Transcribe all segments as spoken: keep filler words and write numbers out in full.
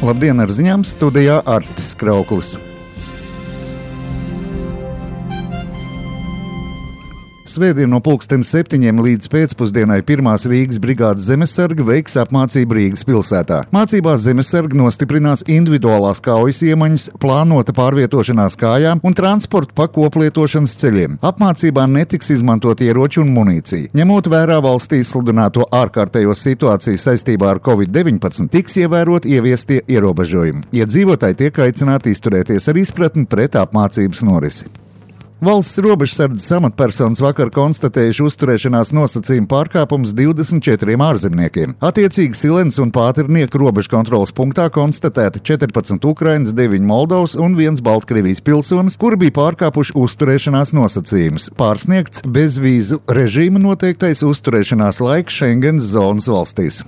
Labdien, ar ziņām studijā Artis Krauklis. Svētdien no pulksten septiņiem līdz pēcpusdienai pirmās Rīgas brigādes zemesargi veiks apmācību Rīgas pilsētā. Mācībās zemesargi nostiprinās individuālās kaujas iemaņas, plānota pārvietošanās kājām un transportu pa koplietošanas ceļiem. Apmācībā netiks izmantot ieroči un munīcija. Ņemot vērā valstī sludināto ārkārtējo situāciju saistībā ar covid deviņpadsmit, tiks ievērot ieviestie ierobežojumi. Iedzīvotāji tiek aicināti izturēties ar izpratni pret apmācības norisi. Valsts robežsardzes amatpersonas vakar konstatējuši uzturēšanās nosacījumu pārkāpumus divdesmit četriem ārzemniekiem. Attiecīgi Silens un Pāternieku robežkontroles punktā konstatēti četrpadsmit Ukrainas, deviņi Moldovas un viens Baltkrievijas pilsonis, kuri bija pārkāpuši uzturēšanās nosacījumus. Pārsniegts bezvīzu režīma noteiktais uzturēšanās laiks Schengens zonas valstīs.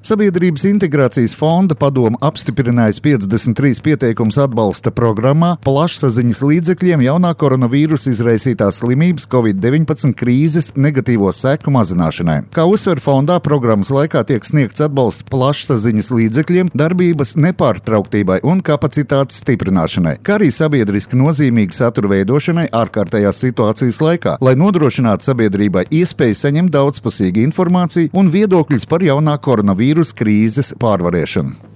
Sabiedrības integrācijas fonda padome apstiprinājusi piecdesmit trīs pieteikumus atbalsta programmā plašsaziņas līdzekļiem jaunā koronavīrusa izraisītās slimības covid deviņpadsmit krīzes negatīvo seku mazināšanai. Kā uzsver fondā, programmas laikā tiek sniegts atbalsts plašsaziņas līdzekļiem darbības nepārtrauktībai un kapacitātes stiprināšanai, kā arī sabiedriski nozīmīgu satura veidošanai ārkārtējās situācijas laikā, lai nodrošinātu sabiedrībai iespēju saņemt daudzpusīgu informāciju un viedokļus par jaunā koronavīrusa vīrusu krīzes pārvarēšanu.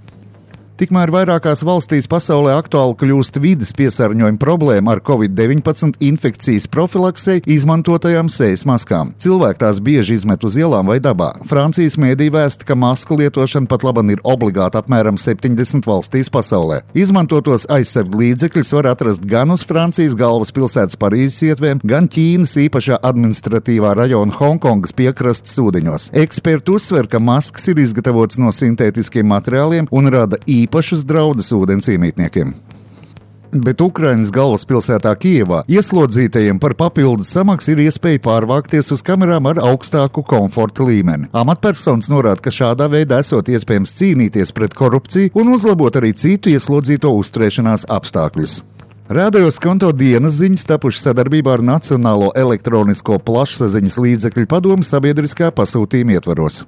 Tikmēr vairākās valstīs pasaulē aktuāli kļūst vides piesārņojuma problēma ar covid deviņpadsmit infekcijas profilaksei izmantotajām sejas maskām. Cilvēki tās bieži izmet uz ielām vai dabā. Francijas mēdī vēsta, ka masku lietošana pat laban ir obligāta apmēram septiņdesmit valstīs pasaulē. Izmantotos aizsargu līdzekļus var atrast gan uz Francijas galvaspilsētas Parīzes ietvēm, gan Ķīnas īpašā administratīvā rajona Honkongas piekrastes ūdeņos. Eksperti uzsver, ka maskas ir izgatavotas no sintētiskiem materiāliem un rada īpaši īpašus draudus ūdens iemītniekiem. Bet Ukrainas galvaspilsētā Kijevā ieslodzītajiem par papildus samaksu ir iespēja pārvākties uz kamerām ar augstāku komforta līmeni. Amatpersonas norāda, ka šādā veidā esot iespējams cīnīties pret korupciju un uzlabot arī citu ieslodzīto uzturēšanās apstākļus. Rādījos konto dienas ziņas tapuši sadarbībā ar Nacionālo elektronisko plašsaziņas līdzekļu padomi sabiedriskā pasūtījuma ietvaros.